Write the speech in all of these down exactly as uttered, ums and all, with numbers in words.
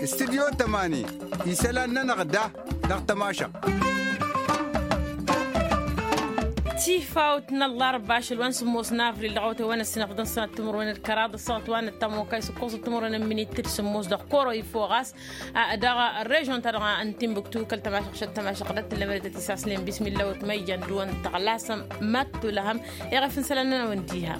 Studyo tămani isălan-nănăɣ da dăɣ-tămašăɣt. Tifawt n-ăllarba ašăl wa n-sǝmmos n-avril dăɣ-awătay wa n-ăssinăɣ d-ănsanăt timǝrwen d-kăraḍ ăssaɣăt wa n-ăttamokay s-ǝkkoẓăt timǝrwen n-minit d-sǝmmos dăɣ-koro ifo ɣas dăɣ-režion-ta-dăɣ n-timbuktu kăl-tămašăɣ šăt tămašăɣ dăɣ-tǝllămădătăt isaslen bismilla wăt ma ijan dăɣ-wăn tăɣlasăm. Mad-tulăhăm iɣef n-isălan-nănăɣ n-diha.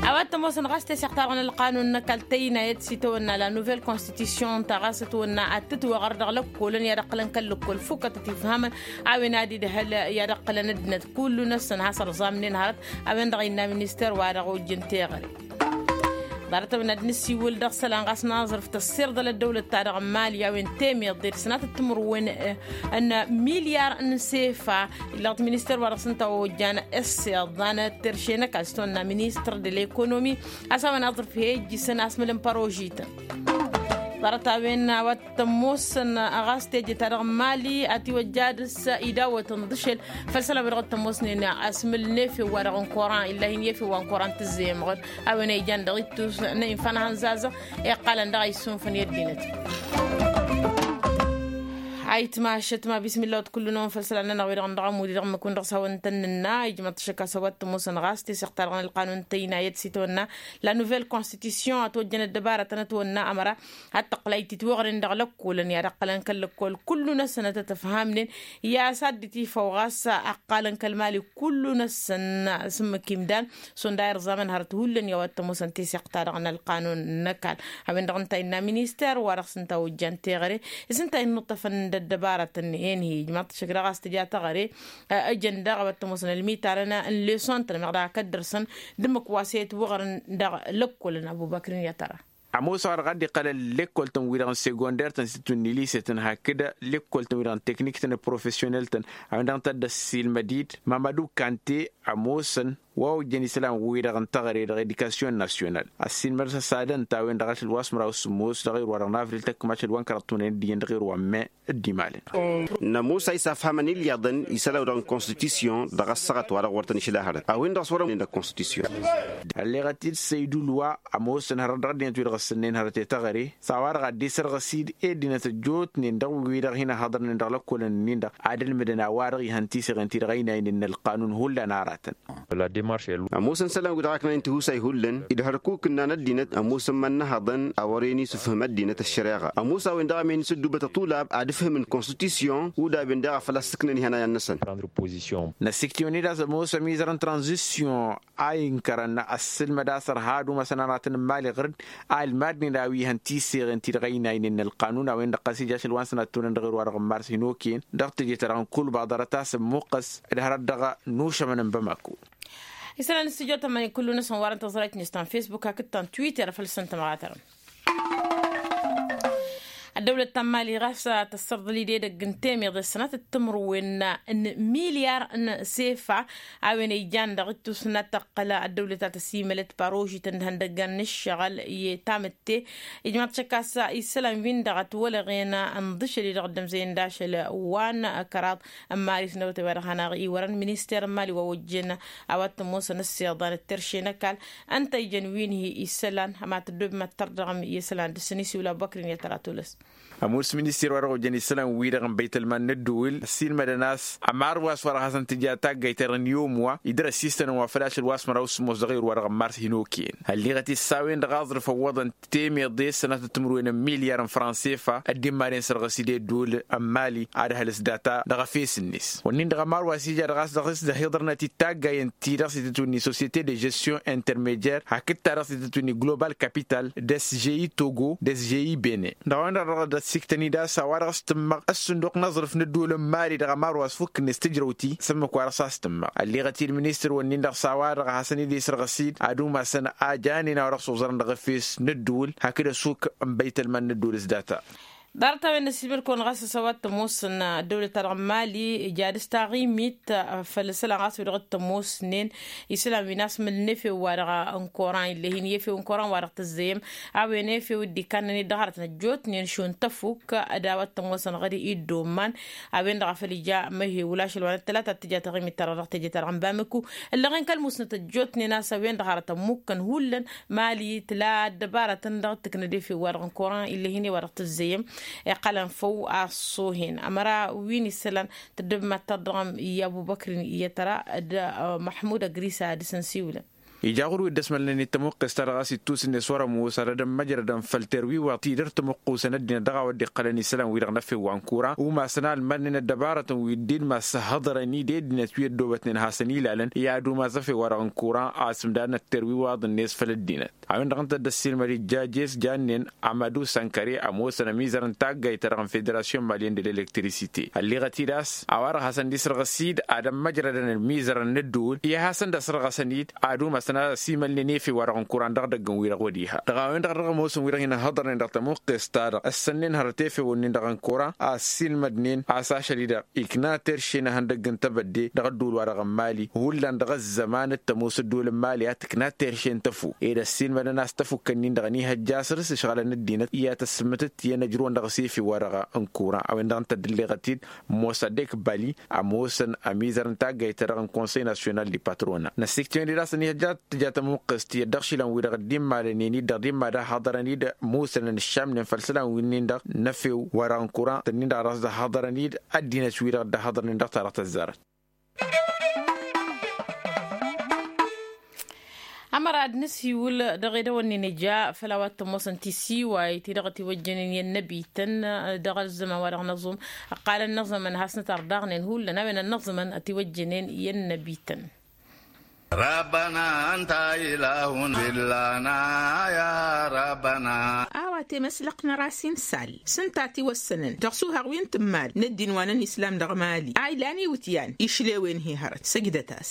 A-wa t-ămoosăn ɣas teseɣt-ta-dăɣ n-ălqanun n-ăkall tăynayăt s-itawănna la nouvelle constitution ta ɣas ătwănna ad-tǝtwăɣăr dăɣ-lăkkolăn i-ad-ǝqqǝlăn kăl-lăkkol fukăt ătifhamăn a-wen ad-idh ăhăl i-ad-ǝqqǝlăn ăddinăt kullu-năsăn has-ărẓamnen hărăt. A-wen-dăɣ innă minister wa dăɣ-ojjăn teɣăre ḍarăt-a-wen ad-nǝssiwǝl dăɣ-isălan ɣas n-aẓrǝf tăssirḍăl ăddăwlăt-ta-dăɣ n-mali a-wen temeḍe d-sănatăt timǝrwen n-milyar n-sefa. Illăɣ-t minister wa dăɣ-s ǝnta ojjan ăssiḍan terše n-ăkall s-tăwănna ministăr de l'ekonomi a-s a-wen aẓrǝf he-ijjǝsăn asmǝl n-părožităn. Ḍarăt-a-wen a-wa t-ămoosăn ɣas teje-ta-dăɣ n-mali ătiwăjja dăr-s idawătăn d-ašăl făll-isălan wa dăɣ-t-ămoosnen asmǝl n-efew wa dăɣ-n koran illa hin-efew wa n-koran tǝzzeyămɣăd. A-wen a ijan dăɣ-ittus n-infa n-ahănzazăɣ iqqalăn dăɣ-a issunfăn i-ăddinăt. Ayǝtmašăt ma bismilla wăt kullu-năwăn făll-isălan-nănăɣ wi-dăɣ n-dăɣ-ămud i-dăɣ ǝmmǝk-wǝn dăɣ-s hawăn-tăn-nǝnna ijmăḍ-t ašăk a-s a-wa t-ămoosăn ɣas teseɣt-ta-dăɣ n-ălqanun tăynayăt s-itawănna la nouvelle constitution ătwăjjăn ăddăbarătăn ătwănna ămăra ad-tăqqǝlăy titwăɣren dăɣ-lăkkolăn i-ad-ǝqqǝlăn kăl-lăkkol kullu-năsăn ad-tăt-ăfhamnen. I-a-s ad-dd-tifăw ɣas ăqqalăn kăl-mali kullu-năsăn s-ǝmmǝk imdan šund a irẓamăn hărăt hullan i-a-wa t-ămoosăn teseɣt-ta-dăɣ n-ălqanun n-ăkall. A-wen-dăɣ ǝnta innă minister wa dăɣ-s ǝnta ojjan teɣăre s-ǝnta innuṭṭăfăn d-ăddăbarătăn. Enhi ijmaḍ-t ašăk dăɣ-a-s tǝja teɣăre ǝjăn daɣ a-wa t-ămoosăn ălmitarăn n-lesson-tăn meɣ daɣ akăddărsăn d-ǝmmǝk wa s-e-ătwăɣrăn dăɣ-lăkkolăn ăbubăkr-in i-ad-tăra. Ămoos a-wa dăɣ-a dd-iqqălăn lekkoltăn-wi-dăɣ n-segonder-tăn s-itwǝnni lise-tăn hakd lekkoltăn-wi-dăɣ n-teknik-tăn d-profesyonel-tăn. A-wen-dăɣ n-tăddăs silmăd-dd mamadu kante ămoosăn wa ojjăn isălan-wi-dăɣ n-teɣăre dăɣ-edikasyon nasyonal ăssiinmăr-s ăsadăn-t a-wen-dăɣ ašăl wa s-măraw s-sǝmmos dăɣ-erwa-dăɣ n-avril tăkk mašăl wa n-kăraḍ tunăyăn d-iyyăn dăɣ-erwa n-me. Dd-imalăn. Nămoos a isafhamăn ilyaḍăn isălan-wi-dăɣ n-konstitisyon dăɣ-ăssaɣăt wa dăɣ-wăr tăn-išla hărăt a-wen-dăɣ s-wărăn n-konstitisyon. Ălleɣăt-dd săydul wa ămoosăn hărăt dăɣ-ăddinăt-wi-dăɣ ǝssǝnnen hărăt i-teɣăre s-a-wa-dăɣ ad-dd-isărɣăs-dd i-ăddinăt ăjjootnen dăɣ-wi-dăɣ hin-ăhhăḍărnen dăɣ-lăkkolăn-nin-dăɣ ad-ǝlmǝdăn a-wa-dăɣ ihăn tiseɣen-ti-dăɣ ăynaynen n-ălqanun hullan aratăn. Ămoosăn isălan-wi-dăɣ a ǝknănen tihusay hullan idhărkuk ǝnnan ăddinăt ămoosăn ma n-inǝhhăḍăn a wăren isǝfhǝm ăddinăt ăššăreɣa ămoos a-wen-dăɣ a mehăn isǝddubăt ăṭulab ad-ǝfhǝmăn konstitisyon udaben daɣ a făl-a-s ǝknăn ihănayăn-năsăn. Năssiktǝwăn-dd a-s ămoos ămizăr n-tranzisyon a inkărăn ăssǝlmăd a-s ărha ad-umasăn aratăn n-imali ɣǝr-dd a ǝlmadnen a-wi ihăn tiseɣen-ti-dăɣ ăynaynen n-ălqanun a-wen-dăɣ ɣas ija ašăl wa n-sănat tunăn dăɣ-erwa-dăɣ n-mars hin-okăyăn dăɣ-teje-ta-dăɣ n-kulba ḍarăt-as ămmuqqăs d-hărăt dăɣ-nušămăn n-bamako. Isălan n-studyo tămani kullu-năsăn wa dăɣ-tăẓrayt-net ta n-facebook hakd ta n-twitter făll-săn tămɣatărăn. Ăddăwlăt ta n-mali ɣas tăssărḍăl-dd edăgg n-temeḍe s-sănatăt timǝrwen n-milyar n-sefa a-wen ijan dăɣ-ittus n-ad-tăqqăl ăddăwlăt a tăsimălăt parožităn d-ihăndăggan n-ǝššăɣǝl i-tamǝtte. Ijmaḍ-t šăkk a-s isălan-win-dăɣ ătwălăɣen n-iḍǝšăl-i-dăɣ dd-ămzăyăn d-ašăl wa n-kăraḍ n-mali s-năwătăy wa dăɣ-hanăɣ-iwărăn minister n-mali wa ojjăn a-wa t-ămoosăn ǝssiḍan d-terše n-ăkall ǝnta ijăn wi n-hi isălan. Ămatăddob mad-tărdăɣăm i-isălan dăr-săn isiwǝl abubăkr-in i-ad-tăra tulăs. Ămoos minister wa dăɣ-ojjăn isălan-wi-dăɣ n-băytălman n-ădduul ăssiilmădăn a-s ămarwas wa dăɣ-hasăn-tǝja taggayt-ta-dăɣ n-iwm wa idăr-ăsistănăn wa făl ašăl wa s-măraw s-sǝmmos dăɣ-erwa dăɣ-n mars hin-okăyăn. Ălliɣăt-dd s-a-wen-dăɣ aẓrǝf ăwwăḍăn temeḍe s-sănatăt timǝrwen n-milyar n-fransefa ăddimmaden sărɣǝs-dd i-ădduul n-mali ad-ăhălǝs data dăɣ-efes-net. Wănnin-dăɣ ămarwas ija dăɣ-a-s dăɣ-s dăhiḍărnăt-dd taggayen-ti-dăɣ s-itǝtwǝnni societe de gestion intermedier hakd-ta-dăɣ s-itǝtwǝnni global capital d-sgi togo d-sgi bene. Dăɣ-a-wen-dăɣ dăɣ-dd-ăssiktăn-dd a-s a-wa-dăɣ s-tǝmmăɣ ăssunduq n-aẓrǝf n-ădduul n-mali dăɣ-ămarwas fukk-net tǝjrăw-ti s-ǝmmǝk wa dăɣ-s a-s tǝmmăɣ. Ălliɣăt-dd ministăr-wǝnnin-dăɣ s-a-wa-dăɣ a hasăn-dd-isărɣǝs-dd ad-umasăn a janen a-wa dăɣ-s oẓărăn dăɣ-efes n-ădduul hakd ăsuk n-băytălman n-ădduul s-data. Ḍarăt-a-wen n-ăssiilmăd-kăwăn ɣas a-s a-wa t-ămoosăn ăddăwlăt-ta-dăɣ n-mali ija ad-ǝstaɣimit făll-isălan ɣas wi-dăɣ t-ămoosnen isălan wi n-asmǝlnen efew-wa-dăɣ n-koran ill'-e-hin i-efew n-koran wa-dăɣ tǝzzăyăm. A-wen efew dd-ikannăn-dd dăɣ-hărătăn ăjjootnen šund tăfuk d-a-wa t-ămoosăn ɣăr-i dd-omman. A-wen-dăɣ a făl ija măhewǝl ašăl wa n-ăttălata a t-tǝja taɣimit-ta-dăɣ dăɣ-teje-ta-dăɣ n-bamǝku. Ǝllăɣen kăl-musnăt ăjjootnen a-s a-wen-dăɣ hărătăn mukkăn hullan mali tǝla ăddăbarătăn dăɣ-tǝknăd efew-wa-dăɣ n-koran ill'-e-hin i-wa-dăɣ tǝzzăyăm. Iqqălăn făw a ăṣṣoohen ămăra wi n-isălan tăddăb mad-tărdăɣăm i-abubăkrin i-tăra d-măḥmud ăgrisa ad-dăr-s ănsiwǝlăn. Ija ɣur-wi dd-ăsmălnen i-tămuqqes-ta-dăɣ a-s ittus-net wăr-ămoos ad-ădămmăjrădăn făll-terwiwaḍt-i dăr-tămuqqusăn ăddinăt dăɣ-a-wa dd-iqqălăn isălan-wi-dăɣ n-efew wa n-kura umasăn a ălmadnen ăddăbarătăn wi dd-ilmas s-ăhhăḍărăn-dd i-ăddinăt wi ăddoobătnen ad-hasăn-ilalăn i-ad-umas efew-wa-dăɣ n-kura a ăsmǝdadnăt terwiwaḍ-net făll-ăddinăt. A-wen-dăɣ ǝnta dd-ăssiilmăd ijjajes jannen amadu sankăre ămoosăn ămizăr n-taggayt-ta-dăɣ n-federasyon malyen de l-elektrisite ălliɣăt-dd a-s a-wa-dăɣ hasăn-dd-isrăɣăs-dd ad-ămmăjrădăn ălmizăr n-ăddǝwǝl i-ad-hasăn-dd-ăsrăɣăsăn-dd ad-umasăn ad-ăsimălnen efew-wa-dăɣ n-kuran dăɣ-idăgg n-wi-dăɣ wăr-iha dăɣ-a-wen-dăɣ dăɣ-ămoosăn wi-dăɣ hin-ăhhăḍărnen dăɣ-tamuqqest-ta-dăɣ ǝssănnen hărăt efew-nin-dăɣ n-kuran a ăssiilmădnen a-s ašăl-i-dăɣ ikna terše n-ehăndăgg n-tebădde dăɣ-ădduul-wa-dăɣ n-mali hullan dăɣ-ăzzăman d-tămoos ădduul n-mali a tǝkna terše n-tăfu ed ăssiilmădăn a-s tăfukkăn-in-dăɣ ănihăjja asăr s-ǝšɣălăn ăddinăt i-ad-tăssǝmmǝtǝt i-ănăjrǝwăn dăɣ-s efew-wa-dăɣ n-kuran a-wen-dăɣ ǝnta dd-ǝlleɣăt-dd mosadek bali ămoosăn ămizăr n-taggayt-ta-dăɣ n-konsăy nasyonal di patronal n-ăssiktǝwen-dd a-s ănihăjja tǝja tămuqqest tiyyăt dăɣ-išilan-wi-dăɣ dd-immalănen-dd dăɣ-dimma d-ăhhăḍărăn-dd musănăn ǝššamnen făll-isălan wi-nin-dăɣ n-efew wa-dăɣ n-kuran tǝnnin-dăɣ a dăɣ-s dd-ăhhăḍărăn-dd ăddinăt-wi-dăɣ dd-ăhhăḍărnen dăɣ-ta-dăɣ tăzzarăt. Ămăra ad-nǝsiwǝl dăɣ-edăwănnen ija făll-a-wa t-ămoosăn tisiwayt-i-dăɣ ătiwăjjănen i-ănnăbităn dăɣ-ăzzăman wa dăɣ-năẓum. Ăqqalăn năẓămăn has-nǝtărdaɣnen hullan a-wen ănnăẓămăn ătiwăjjănen i-ănnăbităn. Rabbăna anta ilahun fillana ya rabbăna. A-wa temăslăqnăr a-s insal s-ǝnta a tiwăssănăn dăɣ-suhaɣ wi n-tǝmmal n-ăddin wa n-ănislam dăɣ-mali a ilan iwǝtyan išlewen-hi hărăt săjdăt-as.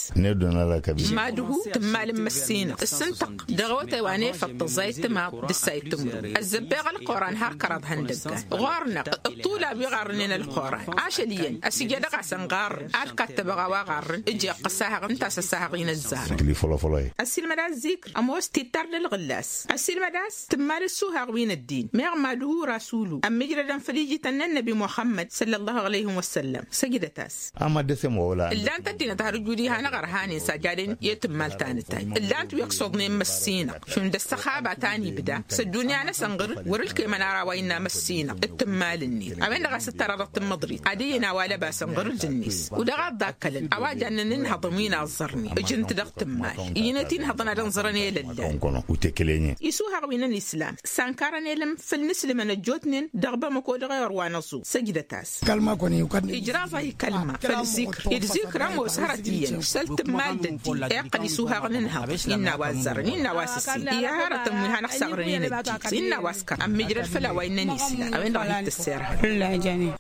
Mad-hu tǝmmal n-măssinăɣ s-ǝntăɣ dăɣ-awătay wa n-efăḍ tăẓẓayăt timaḍ d-ǝssayăt timǝrwen ăzzăbbeɣ ălquran har kăraḍ ihăndăggan ɣur-năɣ ăṭṭula wi ɣarrǝnen ălquran ašăl iyyăn ăsijădăɣ-asăn ɣarrǝn ad-kattăbăɣ a-wa ɣarrǝn ǝjeɣ ăssahăɣ ǝnta a-s ăssahăɣ-in ăzzarăn. Ăssiilmăd a-s zikr ămoos tittar d-ălɣǝllas ăssiilmăd a-s tǝmmal ǝssuhaɣ wi n-ăddin meɣ mad-hu rasulu ămmijrădăn făll-ijităn n-ănnăbi muxămmăd săllăllahu aleyhim wăssăllăm. Săjdăt-as. Ǝllan-t ăddinăt har ǝjud iha n-aɣărhanen s-ajaden i-tǝmmal ta n-tayy ǝllan-t wi ăksuḍnen măssinăɣ šund ăssăxaba ta n-ibda s-ăddunya-năsăn ɣǝr-dd wăr-ǝlkemăn ara a-wa innă măssinăɣ d-tǝmmal-net a-wen-dăɣ a-s ǝttăra dăɣ-tǝmmăḍrit ad-iyyăn a-wa lăbasăn ɣǝr-dd-net. U-dăɣ a ǝḍḍakkălăn a-wa jannen ǝnhăḍăn wi n-aẓẓărnen ǝjǝn-t dăɣ-tǝmmal iyyăn-et-inhăḍăn ad-ănẓărăn i-lăllan. Isuhaɣ wi n-ănislam s-ănkarăn elăm făll-inǝslǝmăn ăjjootnen dăɣ-bamăko dăɣ-ewăr wa n-ăẓu. Săjdăt-as. Ijraẓ-ahi kălma făll-zikr ed-zikr ămoos hărăt iyyăn s-ăltǝmmal d-ăddin iqqăl isuhaɣ n-inhăḍ innă a-wa ăzzărăn innă a-wa s-ǝssin i-hărătăn wi hanăɣ-saɣrănen ăddin innă a-wa s-kăra ămmiijrăd făll-a-wa innăn islam a-wen-dăɣ a hi-tăsserhăd.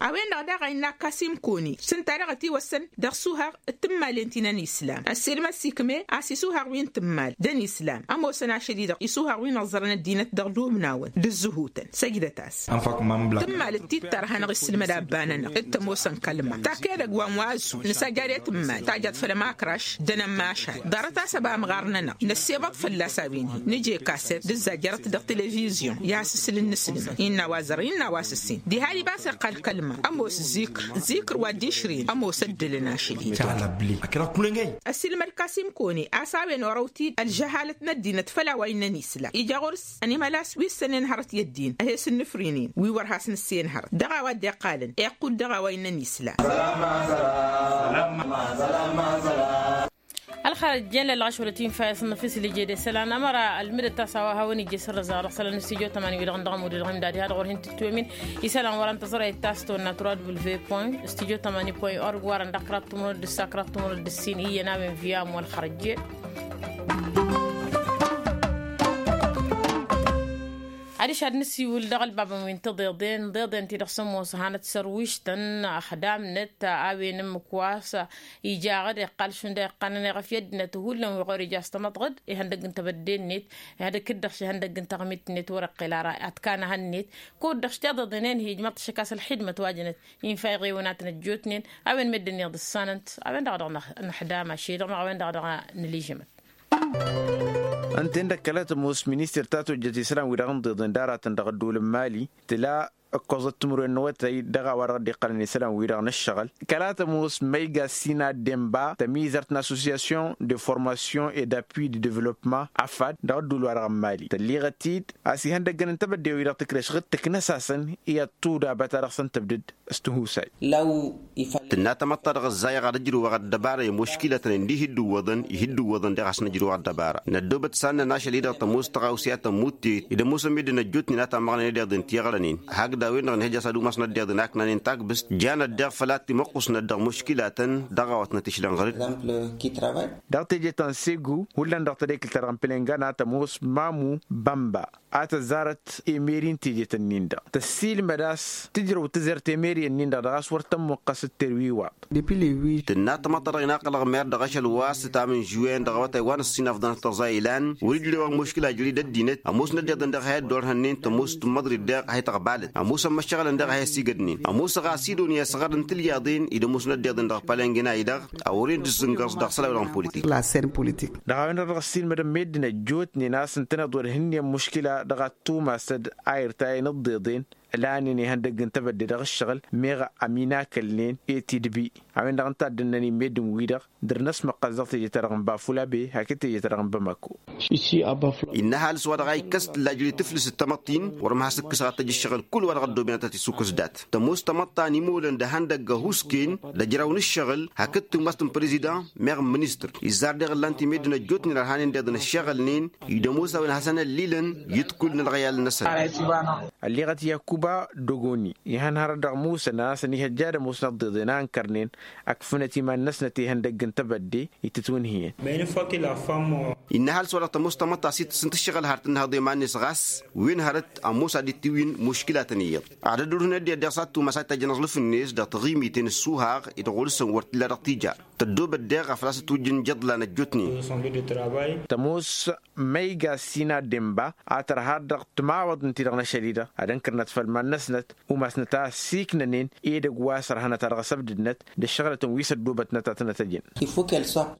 A-wen-dăɣ daɣ a innă kasim koni s-ǝnta-dăɣ ătiwăssăn dăɣ-isuhaɣ d-tǝmmalen ti n-ănislam ăssiilmăd s-ikme a-s isuhaɣ wi n-tǝmmal d-ănislam ămoosăn ašăl-i-dăɣ isuhaɣ wi n-ăẓẓărăn ăddinăt dăɣ-dubnawăn d-ǝzzǝhutăn. Săjdăt-as. Tǝmmal d-tittăr a hanăɣ-isǝlmăd abba-nănăɣ d-tămoosăn kălma tak edăgg wa n-wa ăzzu nǝsajjad i-tǝmmal tajjat făll-ămakraš d-anămmašal ḍarăt-as ăba ămɣar-nănăɣ năssebăḍ fălla-s a-wen-hi nǝje kaset d-ǝzzajjărăt dăɣ-televizyon i-asǝsǝl n-inǝslǝmăn innă a-wa ăzzărăn innă a-wa s-ǝssin diha-di ba s-iqqal kălma ămoos zikr zikr wa dd-išrǝyăn ămoos ăddălăn ašăl-i-dăɣ. Ăssiilmăd kasim kone a-s a-wen orăw-t-dd ălžăhalăt n-ăddinăt făll-a-wa innăn islam ija ɣur-s ănimălas wi ǝssănen hărăt i-ăddin a he-sǝnnǝfrǝynen wi wăr has-nǝssen hărăt dăɣ-a-wa dd-iqqalăn iqqud dăɣ-a-wa innăn islam. Ălxărăt jen lălɣăš wăla tinfa i-asǝnnăf isǝl ije d-isălan ămăra ălmǝdăt a-s a-wa hawăn-ija isǝrrǝzăɣ dăɣ-isălan n-studyo tămani wi-dăɣ n-dăɣ ămud dăɣ-imdad iha dăɣ-wăr hin-tǝtwămin. Isălan wăr-ăntăẓrăyăt ta s-tăwănna tura w point studyo tămani point org wărăn dăɣ-kăraḍ timǝrwen d-ǝssa kăraḍ timǝrwen d-ǝssin iyyăn a-wen via ămwăl xărăt jen. Išad nǝsiwǝl dăɣ-ălbabăn wi n-tiḍeḍen tiḍeḍen ti-dăɣ s-ămoos hanăt-sărwištăn ăxdamnăt a-wen ǝmmǝk wa s-ijaɣăd iqqal šund a iqqanăn i-ɣăf i-ăddinăt hullan wi ɣur-ija s-tamăḍɣǝd ihăndăgg n-tebădde-net. Ihăndăgg-dd-dăɣ šihăndăgg n-taɣmit-net wăr-iqqel ara ad-t-kanăhăn-net kud-dăɣ s-tiḍeḍen-en-hi ijmăḍ-t ašăk a-s ălxidmăt wa jănăt infa iɣewnatăn ăjjootnen. A-wen meddǝn iḍǝssanăn-t a-wen-dăɣ dăɣ-năxdam ašăl-i-dăɣ meɣ a-wen-dăɣ dăɣ-nǝlijǝmăt. Ǝnta-en-dăɣ kăla tămoos ministăr ta tojjăt isălan-wi-dăɣ n-ḍeḍen d-aratăn dăɣ-ădduul n-mali tǝla ǝkkoẓăt timǝrwen n-awătay dăɣ-a-wa-dăɣ dd-iqqălăn isălan-wi-dăɣ n-ǝššăɣǝl. Kăla tămoos măyga sina demba tămizărt n-association de formation et d'appui de développement afad dăɣ-ădduul-wa-dăɣ n-mali tălliɣăt-dd a-s ihăndăggăn n-tebădde-wi-dăɣ tǝkreš ɣǝd tǝknăs-asăn i-ăṭṭuda băta dăɣ-săn tăbdǝd s-tihusay. Tǝnna tamăḍt ta dăɣ-ăzzayăɣ ad-ăjrǝwăɣ ăddăbara i-muškilatăn indi hi-dd-ǝwwăḍăn ih'-dd-ǝwwăḍăn deɣ has-nǝjrǝw ăddăbara. Năddoobăt s-ad-nănašăl-i-dăɣ tămoos tăɣawse a tămmutte. Ed ămoosăn meddǝn ăjjootnen a tammăɣnen ed iḍen ti iɣrănen hakd a-wen-dăɣ nǝhǝj a-s ad-umasnăt d-iḍen a ǝknanen takbǝst. Jan ăddeɣ făl ad-timăqqusnăt dăɣ-muškilatăn dăɣ-a-wa t-nătišlănɣărăd. Dăɣ-teje ta n-segu hullan dăɣ-tedekǝlt-ta-dăɣ n-pǝlengana tămoos mamu bănba a tăzzarăt emeri n-tejet-ǝnnin-dăɣ tăssiilmăd a-s tǝjrăw tǝzer temeri-ǝnnin-dăɣ dăɣ-a-s wăr tămmuqqăs d-terwiwaḍ. Tǝnna tamăḍt-ta-dăɣ inaqălăɣ mer dăɣ-ašăl wa s-ǝtam n-žuwen dăɣ-awătay wa n-ǝssin afḍănăt tăẓa ilan wăr-ijrewăɣ muškǝla jăr-i d-ăddinăt ămoosnăt d-iḍen dăɣ-ehăy ăddorhăn-nin tămoos tǝmmăḍrit deɣ ehăy tăɣbalăt ămoosăn măššăɣǝlăn deɣ ehăy ăsigădnen ămoos ăɣas idon i-asăɣăr n-tilyaḍen-i d-ămoosnăt d-iḍen dăɣ-pălenge n-a-i-dăɣ. A wăren d-ǝzzǝngăẓ dăɣ-isălan-wi-dăɣ n-politik. Dăɣ-a-wen-dăɣ dăɣ-ăssiilmădăn meddǝn ăjjootnen a-s ǝntăneḍ wăr hǝnnin muškǝla dăɣ-ad-tumasăd a irtayăn ǝḍḍeḍen ǝlanen ihăndăgg n-tebădde dăɣ-ǝššăɣǝl meɣ ăminakălnen i-tidbi. A-wen-dăɣ ǝnta a dd-ǝnnăn i-meddǝn-wi-dăɣ dăr-năsmăqqas dăɣ-teje-ta-dăɣ n-bafulabe hakd teje-ta-dăɣ n-bamako. Innă ăhalǝs wa dăɣ-a ikkăs tǝlla jăr-i tǝflǝs d-tamăḍt-in wăr-ămhas ǝkkǝsăɣ ad-t-ăj ǝššăɣǝl kull-wa-dăɣ ăddooben ad-t-isukkǝs dat-tămoos tamăḍt ta n-imolăn d-ehăndăgg ăhuusken d-ejraw n-ǝššăɣǝl hakd tǝmmas n-prezidăn meɣ n-ministăr izzar deɣ ǝllan-t i-meddǝn ăjjootnen ărhanen d-iḍen ǝššăɣǝlnen-i d-ămoos a-wen ad-hasăn-ăllilăn i-dd-kull n-ălɣăyal-năsăn. Ălliɣăt yakuba dogoni ihăn hărăt dăɣ-musăn a-s ănihăjja d-ămoosnăt d-iḍen a ǝnkărnen ăkfǝnăt iman-năsnăt ihăndăgg n-tebădde itǝtwǝnhǝyăn. Innă ăhalǝs wa dăɣ-tămoos tamăḍt ta s-itǝssǝnt ǝššăɣǝl har tǝnnăhăḍ iman-net ɣas wen hărăt ămoos ad-dd-tiwǝyǝn muškǝlatăn iyyăḍ ad-ăddurhǝnăt d-iyyăḍ deɣ s-ad-tumas ad-tajjăn aẓlǝf-net dăɣ-taɣimiten ǝssuhaɣ-i d-ɣur-săn wăr t-illa dăɣ-tija. Tăddoobăt deɣ afăl a-s ǝtwǝjjǝn ijăḍlan ăjjootnen. Tămoos măyga sina demba a tărha dăɣ-timawăḍ n-ti-dăɣ n-ašăl-i-dăɣ ad-ǝnkărnăt făll-iman-năsnăt umasnăt a ăssiiknănen edăgg wa s-ărhănăt a dăɣ-asăbdǝdnăt d-ăššăɣlătăn wi s-ăddoobătnăt a tăn-ătăjăn.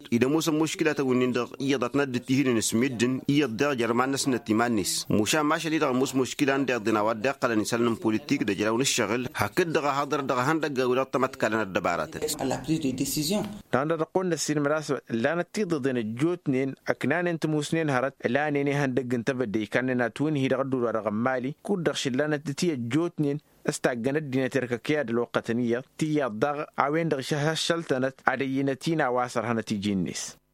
Id-ămoosăn muškǝlatăn-wǝnnin-dăɣ iyyăḍ ad-tăn-dd-tihǝynen s-meddǝn iyyăḍ deɣ jer-iman-năsnăt iman-net mušan mašăl-i-dăɣ ămoos muškǝla n-deḍen a-wa dd-iqqălăn isălan n-politik d-ejraw n-ǝššăɣǝl hakd-dăɣ a haḍăr dăɣ-ehăndăgga-wi-dăɣ tamătkalăn ăddăbaratăn. Dăɣ-nădăɣ qonnăssin măras ǝllanăt tiḍeḍen ăjjootnen ăknanen tămusnen hărăt ǝlanen ihăndăgg n-tebădde ikannen atwǝnhi dăɣ-ădduul-wa-dăɣ n-mali kud-dăɣ šǝllanăt d-ti ăjjootnen s-taggăn ăddinăt erk ăkeyad ălwăqqătăn iyyăḍ tiyyăḍ daɣ a-wen-dăɣ išăhăššăl-tănăt ad-ăyyǝnăt-in a-wa s-ărhănăt iji-net.